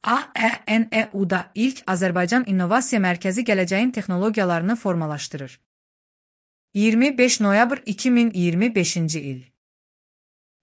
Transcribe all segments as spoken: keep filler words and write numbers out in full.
A E N E U-da ilk Azərbaycan İnnovasiya Mərkəzi gələcəyin texnologiyalarını formalaşdırır. iyirmi beş noyabr iki min iyirmi beşinci il.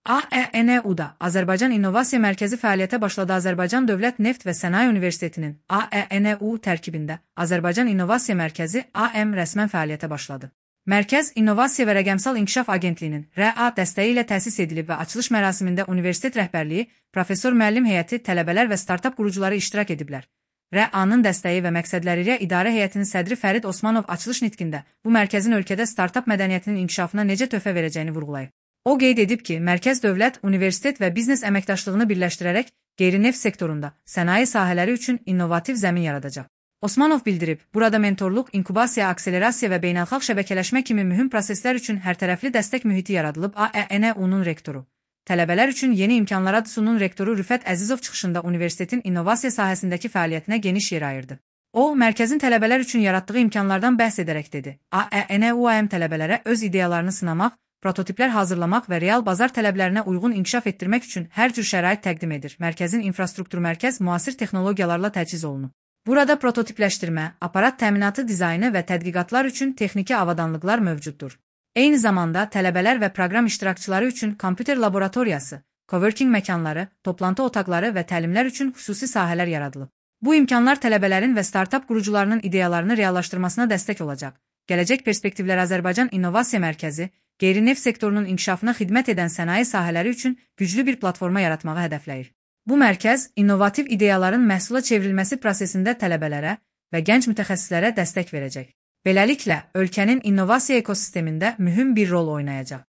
A E N E U-da Azərbaycan İnnovasiya Mərkəzi fəaliyyətə başladı. Azərbaycan Dövlət Neft və Sənaye Universitetinin A E N E U tərkibində Azərbaycan İnnovasiya Mərkəzi A M rəsmən fəaliyyətə başladı. Mərkəz İnnovasiya və Rəqəmsal İnkişaf Agentliyinin R A dəstəyi ilə təsis edilib və açılış mərasimində universitet rəhbərliyi, professor müəllim heyəti, tələbələr və startap qurucuları iştirak ediblər. R A-nın dəstəyi və məqsədləri ilə İdarə Heyətinin sədri Fərid Osmanov açılış nitqində bu mərkəzin ölkədə startap mədəniyyətinin inkişafına necə töhfə verəcəyini vurğulayıb. O qeyd edib ki, mərkəz dövlət, universitet və biznes əməkdaşlığını birləşdirərək qeyri-neft sektorunda sənaye sahələri üçün innovativ zəmin yaradacaq. Osmanov bildirib, burada mentorluq, inkubasiya, akselerasiya və beynəlxalq şəbəkələşmə kimi mühüm proseslər üçün hərtərəfli dəstək mühiti yaradılıb. A E N E U-nun rektoru, tələbələr üçün yeni imkanlar adının rektoru Rüfət Əzizov çıxışında universitetin innovasiya sahəsindəki fəaliyyətinə geniş yer ayırdı. O, mərkəzin tələbələr üçün yaratdığı imkanlardan bəhs edərək dedi. A E N E U A M tələbələrə öz ideyalarını sınamaq, prototiplər hazırlamaq və real bazar tələblərinə uyğun inkişaf etdirmək üçün hər cür şərait təqdim edir. Mərkəzin infrastruktur mərkəz müasir texnologiyalarla təchiz olunub. Burada prototipləşdirmə, aparat təminatı dizaynı və tədqiqatlar üçün texniki avadanlıqlar mövcuddur. Eyni zamanda tələbələr və proqram iştirakçıları üçün kompüter laboratoriyası, coworking məkanları, toplantı otaqları və təlimlər üçün xüsusi sahələr yaradılıb. Bu imkanlar tələbələrin və startap qurucularının ideyalarını reallaşdırmasına dəstək olacaq. Gələcək perspektivlər Azərbaycan İnnovasiya Mərkəzi, qeyri-neft sektorunun inkişafına xidmət edən sənaye sahələri üçün güclü bir platforma yaratmağı hədəfləyir. Bu mərkəz, innovativ ideyaların məhsula çevrilməsi prosesində tələbələrə və gənc mütəxəssislərə dəstək verəcək. Beləliklə, ölkənin innovasiya ekosistemində mühüm bir rol oynayacaq.